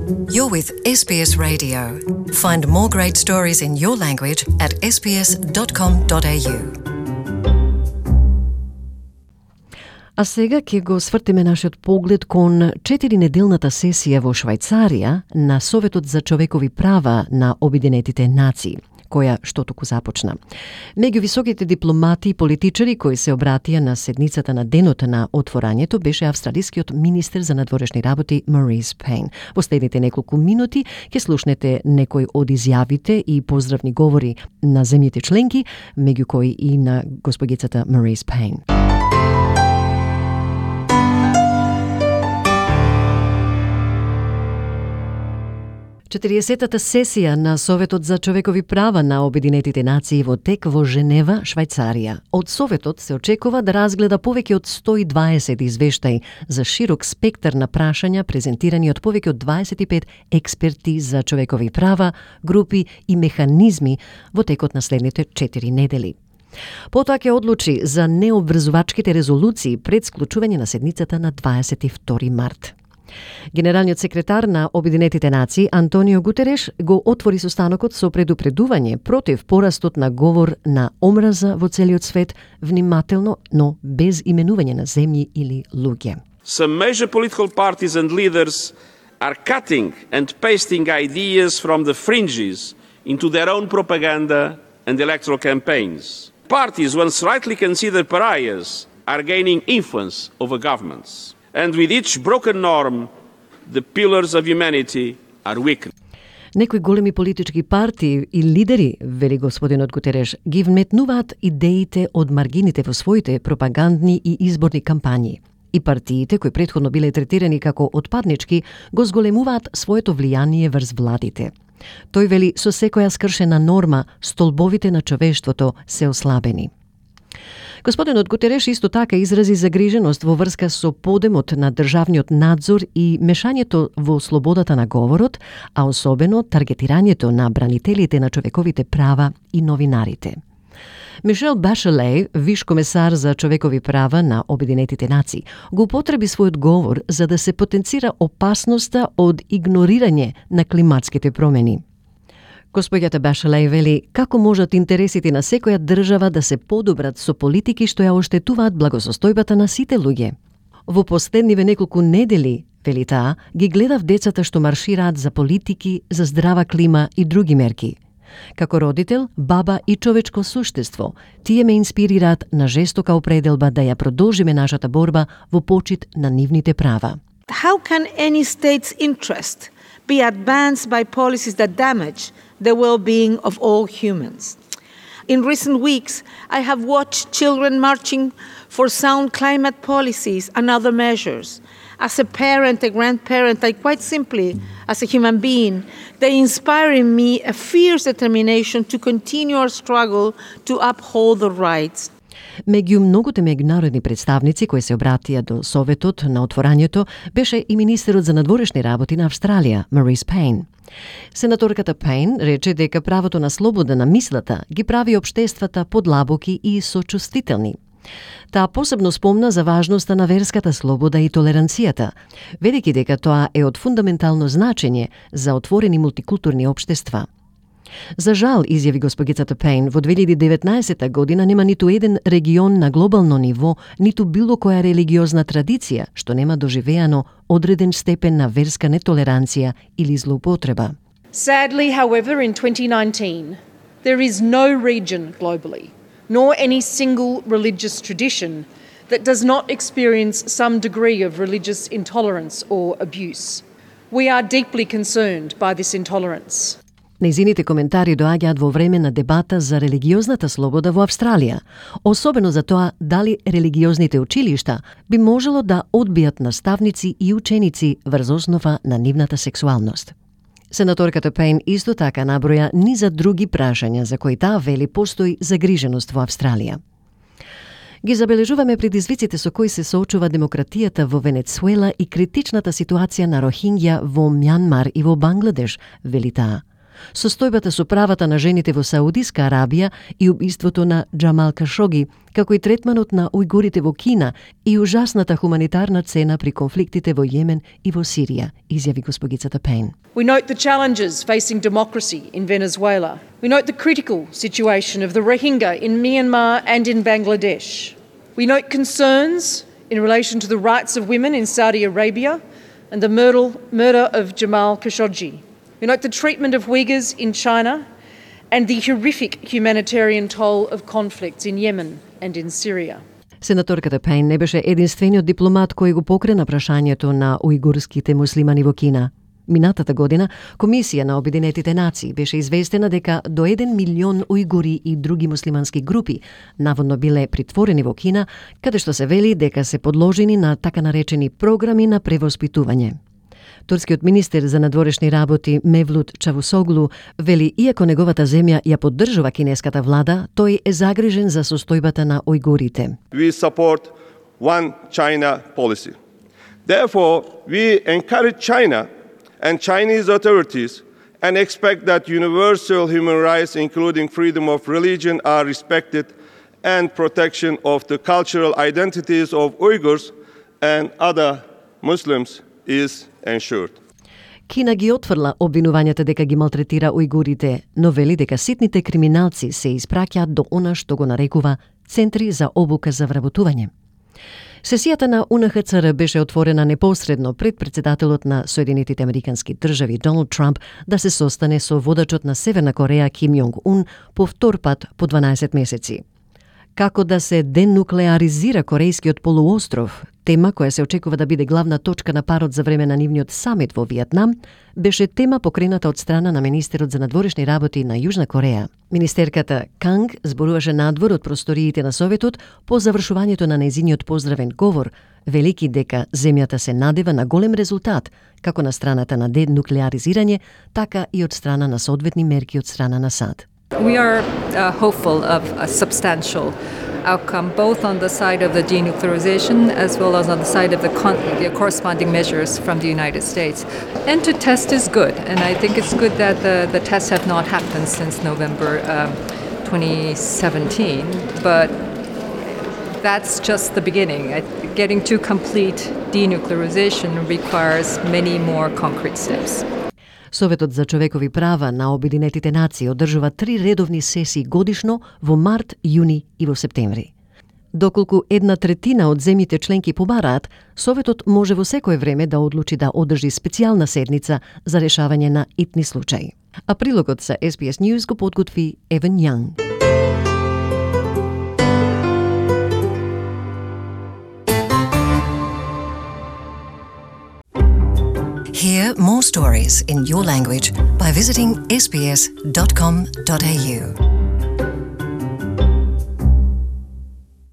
You're with SBS Radio. Find more great stories in your language at sbs.com.au. А сега ќе го свртиме нашиот поглед кон 4-неделната сесија во Швајцарија на Советот за човекови права на Обединетите нации, која што току започна. Меѓу високите дипломати и политичари кои се обратија на седницата на денот на отворањето беше австралискиот министер за надворешни работи Марис Пейн. Во следните неколку минути ќе слушнете некои од изјавите и поздравни говори на земјите членки, меѓу кои и на госпогицата Марис Пейн. 40-та сесија на Советот за човекови права на Обединетите нации во тек во Женева, Швајцарија. Од Советот се очекува да разгледа повеќе од 120 извештаи за широк спектар на прашања презентирани од повеќе од 25 експерти за човекови права, групи и механизми во текот на следните 4 недели. Потоа ќе одлучи за необврзувачките резолуции пред склучување на седницата на 22 март. Генералниот секретар на Обединетите нации Антонио Гутереш го отвори состанокот со предупредување против порастот на говор на омраза во целиот свет, внимателно, но без именување на земји или луѓе. Some major political parties and leaders are cutting and pasting ideas from the fringes into their own propaganda and electoral campaigns. Parties once rightly considered pariahs are gaining influence over governments. And with each broken norm, the pillars of humanity are weakened. Некои големи политички партии и лидери, вели господинот Гутереш, ги вметнуваат идеите од маргините во своите пропагандни и изборни кампањи. И партиите, кои претходно биле третирани како отпаднички, го зголемуваат своето влијание врз владите. Тој вели, со секоја скршена норма, столбовите на човештвото се ослабени. Господинот Гутереш исто така изрази загриженост во врска со подемот на државниот надзор и мешањето во слободата на говорот, а особено таргетирањето на бранителите на човековите права и новинарите. Мишел Башеле, виш комесар за човекови права на Обединетите нации, го употреби својот говор за да се потенцира опасноста од игнорирање на климатските промени. Господјата Башеле вели како можат интересите на секоја држава да се подобрат со политики што ја оштетуваат благосостојбата на сите луѓе. Во последниве неколку недели, вели таа, ги гледав децата што маршираат за политики, за здрава клима и други мерки. Како родител, баба и човечко суштество, тие ме инспирираат на жестока определба да ја продолжиме нашата борба во почит на нивните права. How can any state's interest be advanced by policies that damage the well-being of all humans? In recent weeks, I have watched children marching for sound climate policies and other measures. As a parent, a grandparent, I quite simply, as a human being, they inspire in me a fierce determination to continue our struggle to uphold the rights. Меѓу многуте меѓународни представници кои се обратија до Советот на отворањето беше и министерот за надворешни работи на Австралија, Марис Пейн. Сенаторката Пейн рече дека правото на слобода на мислата ги прави општествата подлабоки и сочувствителни. Таа посебно спомна за важноста на верската слобода и толеранцијата, велики дека тоа е од фундаментално значење за отворени мултикултурни општества. За жал, изјави госпогицата Пейн, во 2019 година нема ниту еден регион на глобално ниво, ниту било која религиозна традиција што нема доживеано одреден степен на верска нетолеранција или злоупотреба. Sadly, however, in 2019, there is no region globally, nor any single religious tradition that does not experience some degree of religious intolerance or abuse. We are deeply concerned by this intolerance. Нејзините коментари доаѓаат во време на дебата за религиозната слобода во Австралија, особено за тоа дали религиозните училишта би можело да одбијат наставници и ученици врз основа на нивната сексуалност. Сенаторката Пейн исто така наброја низа други прашања за кои таа вели постои загриженост во Австралија. Ги забележуваме предизвиците со кои се соочува демократијата во Венецуела и критичната ситуација на Рохингја во Мјанмар и во Бангладеш, вели таа. состојбата со правата на жените во Саудиска Арабија и убиството на Џамал Кашоги, како и третманот на ујгурите во Кина и ужасната хуманитарна цена при конфликтите во Јемен и во Сирија, изјави госпогицата Пейн. We note the challenges facing democracy in Venezuela. We note the critical situation of the Rohingya in Myanmar and in Bangladesh. We note concerns in relation to the rights of women in Saudi Arabia and the murder of Jamal Khashoggi. We note the treatment of Uyghurs in China and the horrific humanitarian toll of conflicts in Yemen and in Syria. Сенаторката Пейн не беше единствениот дипломат кој го покрена прашањето на ујгурските муслимани во Кина. Минатата година, Комисија на Обединетите нации беше известена дека до 1 милион ујгури и други муслимански групи наводно биле притворени во Кина, каде што се вели дека се подложени на така наречени програми на превоспитување. Турскиот министер за надворешни работи Мевлут Чавусоглу вели, иако неговата земја ја поддржува кинеската влада, тој е загрижен за состојбата на ујгурите. We support one China policy. Therefore, we encourage China and Chinese authorities and expect that universal human rights, including freedom of religion, are respected and protection of the cultural identities of Uyghurs and other Muslims is ensured. Кина ги отфрла обвинувањата дека ги малтретира ујгурите, но вели дека ситните криминалци се испраќаат до она што го нарекува центри за обука за вработување. Сесијата на УНХЦР беше отворена непосредно пред председателот на Соединетите Американски држави Доналд Трамп да се состане со водачот на Северна Кореја Ким Јонг Ун по втор пат по 12 месеци. Како да се денуклеаризира Корејскиот полуостров, тема која се очекува да биде главна точка на парот за време на нивниот самит во Виетнам, беше тема покрената од страна на министерот за надворешни работи на Јужна Кореја. Министерката Канг зборуваше надвор од просториите на Советот по завршувањето на нејзиниот поздравен говор, велики дека земјата се надева на голем резултат, како на страната на денуклеаризирање, така и од страна на соодветни мерки од страна на САД. We are hopeful of a substantial outcome, both on the side of the denuclearization as well as on the side of the corresponding measures from the United States. And to test is good, and I think it's good that the tests have not happened since November 2017, but that's just the beginning. Getting to complete denuclearization requires many more concrete steps. Советот за човекови права на Обединетите нации одржува 3 редовни сесии годишно во март, јуни и во септември. Доколку 1/3 од земјите членки побараат, Советот може во секое време да одлучи да одржи специјална седница за решавање на итни случаи. А прилогот за SBS News го подготви Еван Јанг. Hear more stories in your language by visiting sbs.com.au.